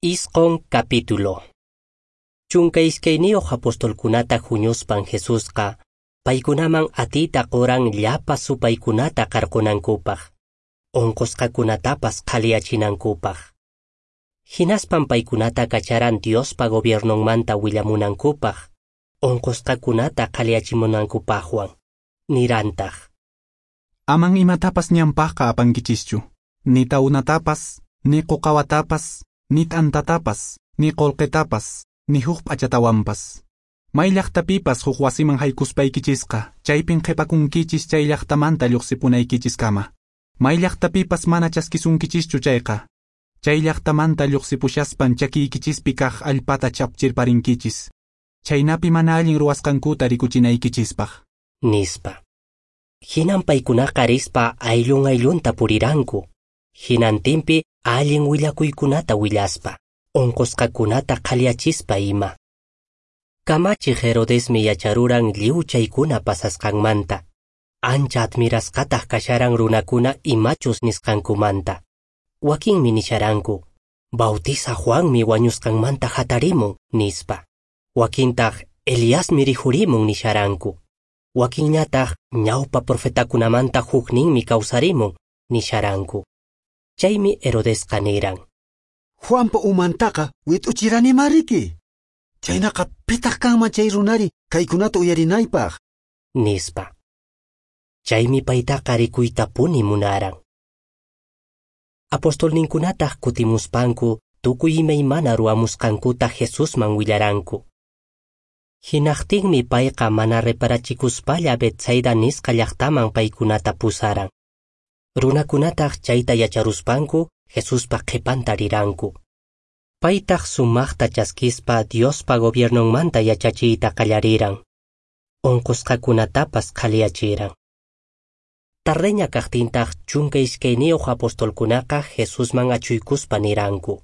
Isqon capítulo. 12 apostolkunata huñuspan Jesusqa paykunaman atiyta quran llapa supaykunata qarqunankupaq, onqosqakunatapas qhaliyachinankupaq. Hinaspan paykunata kacharan Diospa gobiernonmanta willamunankupaq, onqosqakunata qhaliyachimunankupaqwan. Nirantaq: Aman imatapas ñanpaqqa apankichischu, ni taunatapas, ni quqawatapas, ni t'antatapas, ni qullqitapas, ni huk p'achatawanpas. May llaqtapipas huk wasiman haykuspaykichisqa, chaypin qhipakunkichis chay llaqtamanta lluqsipunaykichiskama. May llaqtapipas mana chaskisunkichischu chayqa, chay llaqtamanta lluqsipushaspan chakiykichispi kaq allpata chapchirparinkichis, chaynapi mana allin ruwasqankuta rikuchinaykichispaq. Nispa. Hinan paykunaqa rispa ayllun ayllunta puriranku, hinantinpi allin willakuykunata willaspa, onqosqakunata qhaliyachispa ima. Kamachiq Herodesmi yacharuran lliw chaykuna pasasqanmanta, ancha admirasqataq kasharan runakuna imachus nisqankumanta. Wakinmi nisharanku, Bautiza Juanmi wañusqanmanta hatarimun, nispa. Wakintaq Eliasmi rikhurimun nisharanku. Wakinñataq ñawpa profetakunamanta hukninmi kawsarimun, nisharanku. Chaymi Herodesqa niran: Juanpa umantaqa wit'uchirani riki. Chaynaqa pitaq kanman chay runari kaykunata uyarinaypaq, nispa. Chaymi paytaqa rikuytapuni munaran. Apostolninkunataq kutimuspanku tukuy imaymana ruwamusqankuta Jesusman willaranku. Hinaqtinmi payqa mana reparachikuspalla Betsaida nisqa llaqtaman paykunata pusaran. Runakunataq chayta yacharuspanku Jesuspa qhipanta riranku. Paytaq sumaqta chaskispa Diospa gobiernonmanta yachachiyta qallariran. Onqosqakunatapas qhaliyachiran. Tardeña kaqtintaq 12 apostolkunaqa Jesusman achuykuspa niranku: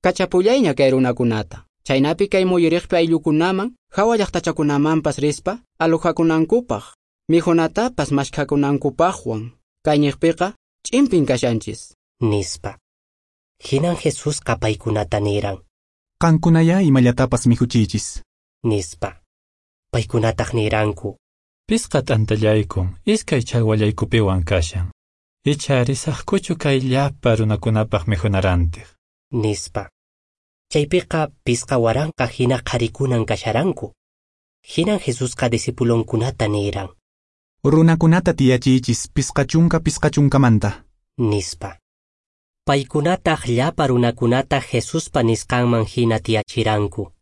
Kachapullayña kay runakunata, chaynapi kay muyuriqpi ayllukunaman, hawa llaqtachakunamanpas rispa alojakunankupaq, mikhunatapas mashkhakunankupaqwan. Kayñiqpiqa ch'impin kashanchis, nispa. Hinan Jesusqa paykunata niran: Qankunaya imallatapas mikhuchiychis, nispa. Paykunataq niranku: Pisqa t'antallaykun iskay challwallaykupiwan kashan. Icha risaqkuchu kay llapa runakunapaq mikhunarantiq, nispa. Chaypiqa 5,000 hina qharikunan kasharanku. Hinan Jesusqa discipulonkunata niran: Runakunata tiyachiychis 50 50manta, nispa. Paykunataq llapa runakunata Jesuspa nisqanman hina tiyachiranku.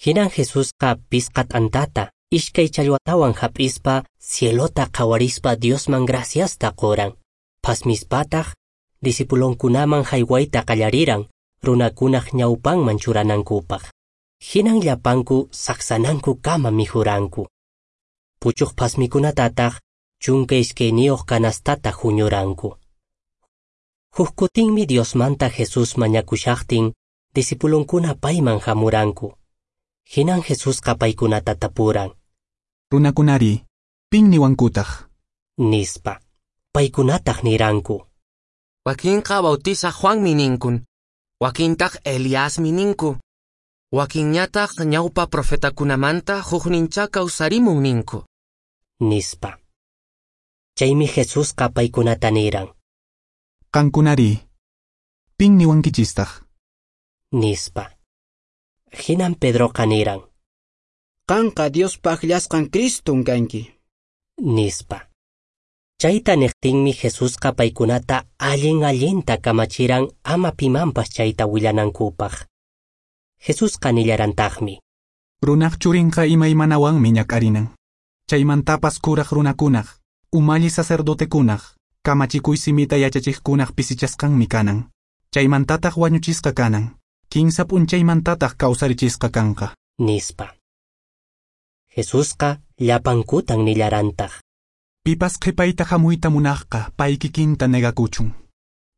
Hinan Jesusqa 5 t'antata, 2 challwatawan hap'ispa cielota qhawarispa Diosman graciasta quran. Phasmispataq discipulonkunaman haywayta qallariran runakunaq ñawpanman churanankupaq. Hinan llapanku saqsanankukama mikhuranku. Puchuq phasmikunatataq 12 canastata huñuranku. Huk kutinmi Diosmanta Jesús mañakushaqtin discipulonkuna payman hamuranku. Hinan Jesusqa paykunata tapuran: Runakunari, pin niwankutaq, nispa. Paykunataq niranku: Wakinqa Bautiza Juanmi ninkun, wakintaq Eliasmi ninku, wakinñataq ñawpa profetakunamanta huknincha kawsarimun ninku, nispa. Chaymi Jesusqa paykunata niran: Qankunari, pin niwankichistaq, nispa. Hinan Pedroqa niran: Qanqa Diospa akllasqan Criston kanki, nispa. Chayta niqtinmi Jesusqa paykunata allin allinta kamachiran ama pimanpas chayta willanankupaq. Jesusqa nillarantaqmi: Runaq churinqa imaymanawanmi ñak'arinan. Chaymantapas kuraq runakunaq, umalli sacerdotekunaq, kamachikuy simita yachachiqkunaq pisichasqanmi kanan. Chaymantataq wañuchisqa kanan. 3 p'unchaymantataq kawsarichisqa kanqa, nispa. Jesusqa llapankutan nillarantaq: Pipas qhipayta hamuyta munaqqa pay kikinta negakuchun.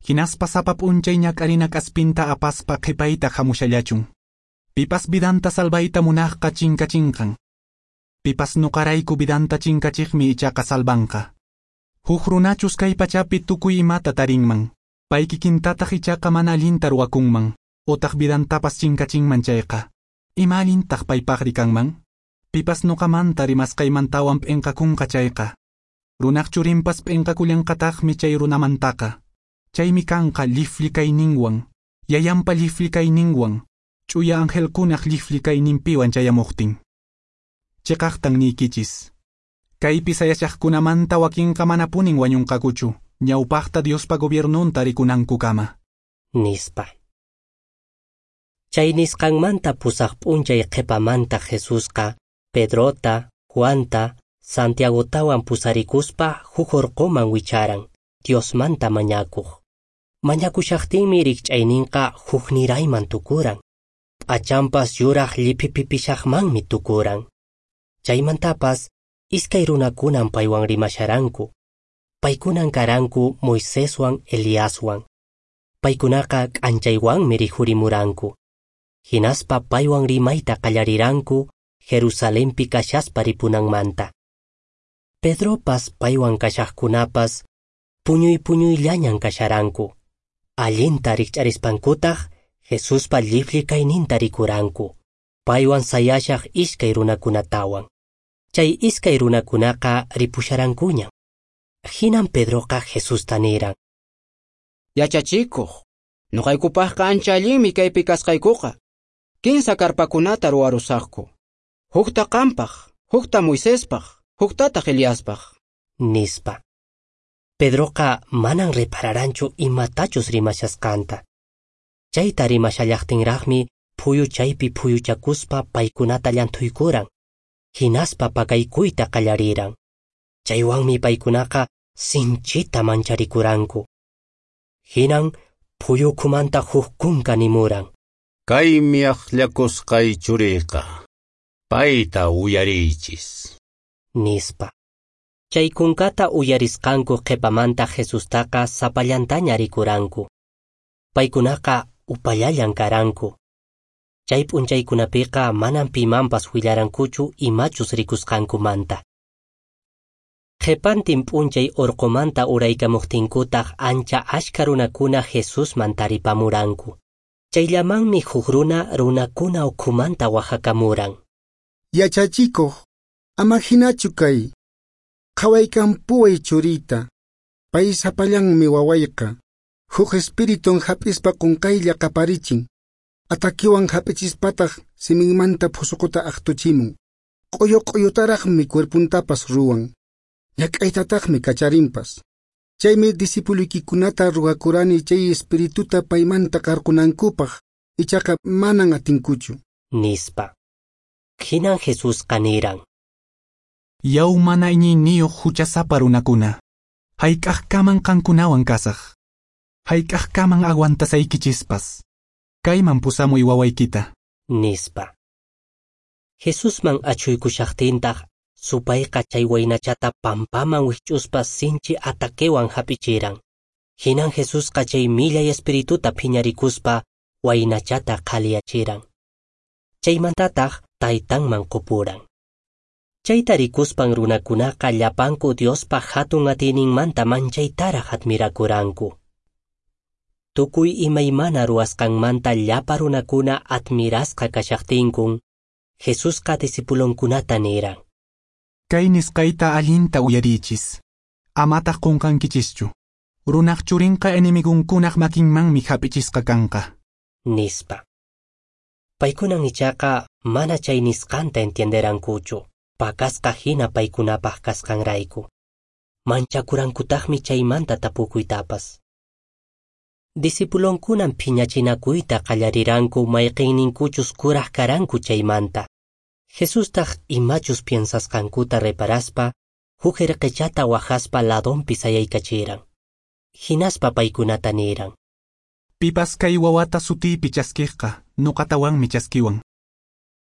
Hinaspa sapa p'unchay ñak'arina k'aspinta apaspa qhipayta hamushallachun. Pipas vidanta salvayta munaqqa chinkachinqan. Pipas nuqarayku vidanta chinkachiqmi ichaqa salvanqa. Huk runachus kay pachapi tukuy imata tarinman, pay kikintataq ichaqa mana allinta ruwakunman. Otaq vidantapas chinkachinman chayqa, ima allintaq paypaqri kanman? Pipas nuqamanta rimasqaymantawan p'inqakunqa chayqa, runaq churinpas p'inqakullanqataqmi chay runamantaqa. Chaymi kanqa llifli kayninwan, yayanpa llifli kayninwan, ch'uya angelkunaq llifli kayninpiwan chayamuqtin. Chiqaqtan niykichis, kaypi sayashaqkunamanta wakinqa manapunin wañunqakuchu, ñawpaqta Diospa gobiernunta rikunankukama, nispa. Chay nisqanmanta pusaq p'unchay qhipamanta Jesusqa Pedrota, Juanta, Santiagotawan pusarikuspa huk urquman wicharan, Diosmanta mañakuq. Mañakushaqtinmi rikch'ayninqa huknirayman tukuran. P'achanpas yuraq lliphipipishaqmanmi tukuran. Chaymantapas iskay runakunan paywan rimasharanku. Paykunan karanku Moiseswan Eliaswan. Paykunaqa k'anchaywanmi rikhurimuranku. Hinaspa paywan rimayta qallariranku Jerusalenpi kashaspa ripunanmanta. Pedropas paywan kashaqkunapas puñuy puñuyllañan kasharanku. Allinta rikch'arispankutaq Jesuspa llifli kayninta rikuranku, paywan sayashaq iskay runakunatawan. Chay iskay runakunaqa ripusharankuñan. Hinan Pedroqa Jesusta niran: Yachachikuq, nuqaykupaqqa ancha allinmi kaypi kasqaykuqa. Kinsa karpakunata ruwarusaqku. Hukta qampaq, hukta Moisespaq, huktataq Eliaspaq, nispa. Pedroqa manan repararanchu imatachus rimashasqanta. Chayta rimashallaqtinraqmi phuyu chaypi phuyuchakuspa paykunata llanthuykuran, hinaspa pakaykuyta qallariran. Chaywanmi paykunaqa sinchita mancharikuranku. Hinan phuyu ukhumanta huk kunka nimuran: Kaymi akllakusqay churiyqa, payta uyariychis, nispa. Chay kunkata uyarisqanku qhipamanta Jesustaqa sapallantaña rikuranku. Paykunaqa upallallan karanku. Chay p'unchaykunapiqa manan pimanpas willarankuchu imachus rikusqankumanta. Qhipantin p'unchay urqumanta uraykamuqtinkutaq ancha ashka runakuna Jesusman taripamuranku. Chayllamanmi huk runa runakuna ukhumanta waqhakamuran: Yachachikuq, ama hinachu kay. Qhawaykampuway churiyta, pay sapallanmi wawayqa. Huk espiritun hap'ispa qunqaylla qaparichin, atakiwan hap'ichispataq siminmanta phusuquta aqtuchimun. Q'uyu q'uyutaraqmi cuerpuntapas ruwan, ñak'aytataqmi kacharinpas. Chaymi discipuluykikunata ruwakurani chay espirituta paymanta qarqunankupaq, ichaqa manan atinkuchu, nispa. Hinan Jesusqa niran: Yaw mana iñiyniyuq huchasapa runakuna, hayk'aqkaman qankunawan kasaq, hayk'aqkaman aguantasaykichispas. Kayman pusamuy wawaykita, nispa. Jesusman achhuykushaqtintaq supayqa chay waynachata pampaman wikch'uspa sinchi ataquewan hap'ichiran. Hinan Jesusqa chay millay espirituta phiñarikuspa waynachata qhaliyachiran. Chaymantataq taytanman qupuran. Chayta rikuspan runakunaqa llapanku Diospa hatun atiyninmanta manchaytaraq admirakuranku. Tukuy imaymana ruwasqanmanta llapa runakuna admirasqa kashaqtinkun, Jesusqa discipulonkunata niran: Kay nisqayta allinta uyariychis, amataq qunqankichischu. Runaq churinqa enemigunkunaq makinmanmi hap'ichisqa kanqa, nispa. Paykunan ichaqa mana chay nisqanta entienderankuchu, pakasqa hina paykunapaq kasqanrayku. Manchakurankutaqmi chaymanta tapukuytapas. Discipulonkunan phiñachinakuyta qallariranku mayqinninkuchus kuraq karanku chaymanta. Jesustaq imachus piensasqankuta reparaspa, huk irqichata waqaspa ladonpi sayaykachiran. Hinaspa paykunata niran: Pipas kay wawata sutiypi chaskiqqa, nuqatawanmi chaskiwan.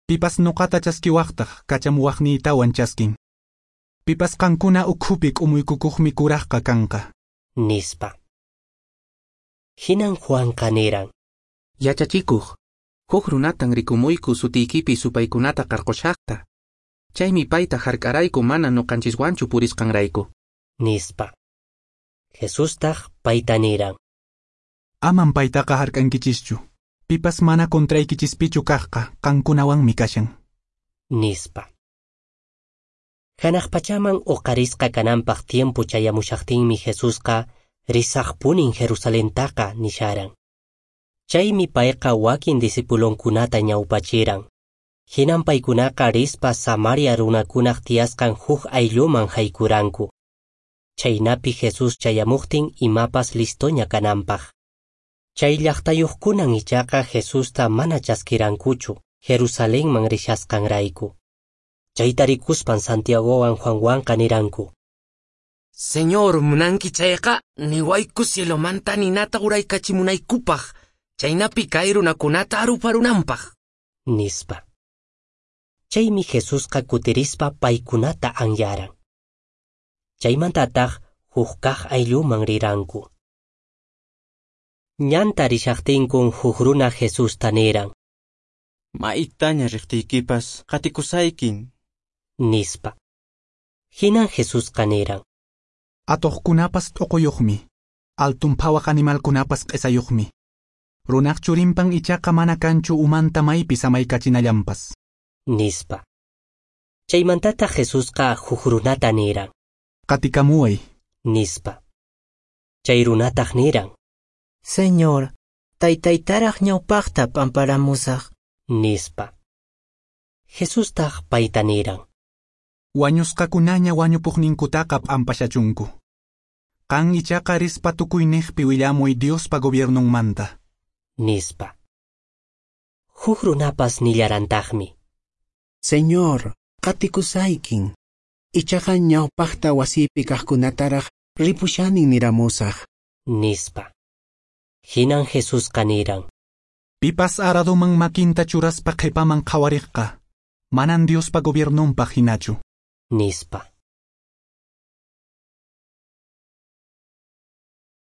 Pipas nuqata chaskiwaqtaq, kachamuwaqniytawan chaskin. Pipas qankuna ukhupi k'umuykukuqmi kuraqqa kanqa, nispa. Hinan Juanqa niran: Yachachikuq, huk runatan rikumuyku sutiykipi supaykunata qarqushaqta. Chaymi payta hark'arayku mana nuqanchiswanchu purisqanrayku, nispa. Jesustaq payta niran: Aman paytaqa hark'ankichischu. Pipas mana contraykichispichu kaqqa qankunawanmi kashan. Nispa. Hanaq pachaman uqarisqa kananpaq tiempo chayamushaqtinmi Jesusqa risaqpunin Jerusalentaqa nisharan. Chaymi payqa wakin discipulonkunata ñawpachiran. Hinan paykunaqa rispa Samaria runakunaq tiyasqan huk aylluman haykuranku. Chaynapi Jesús chayamuqtin imapas listoña kananpaq. Chay llaqtayuqkunan ichaqa Jesusta mana chaskirankuchu Jerusalenman rishasqanrayku. Chayta rikuspan Santiagowan Juanwanqa niranku: Señor, munanki chayqa niwayku cielomanta ninata uraykachimunaykupaq, chaynapi kay runakunata aruparunanpaq, nispa. Chaymi Jesusqa kutirispa paykunata anyaran. Chaymantataq huk kaq aylluman riranku. Ñanta rishaqtinkun huk runa Jesusta niran: Maytaña riqtiykipas qatikusaykin, nispa. Hinan Jesusqa niran: Atuqkunapas t'uquyuqmi, altun phawaq animalkunapas q'isayuqmi. Runaq churinpan ichaqa mana kanchu umanta maypi samaykachinallanpas, nispa. Chaymantataq Jesusqa huk runata niran: Qatikamuway, nispa. Chay runataq niran: Señor, taytaytaraq ñawpaqta p'amparamusaq, nispa. Jesustaq payta niran: Wañusqakunaña wañupuqninkutaqa p'ampashachunku. Qan ichaqa rispa tukuyniqpi willamuy Diospa gobiernonmanta, nispa. Huk runapas nillarantaqmi: Señor, qatikusaykin. Ichaqa ñawpaqta wasipi kaqkunataraq ripushanin niramusaq, nispa. Hinan Jesusqa niran: Pipas aradoman makinta churaspa qhipaman qhawariqqa, manan Diospa gobiernonpaq hinachu, nispa.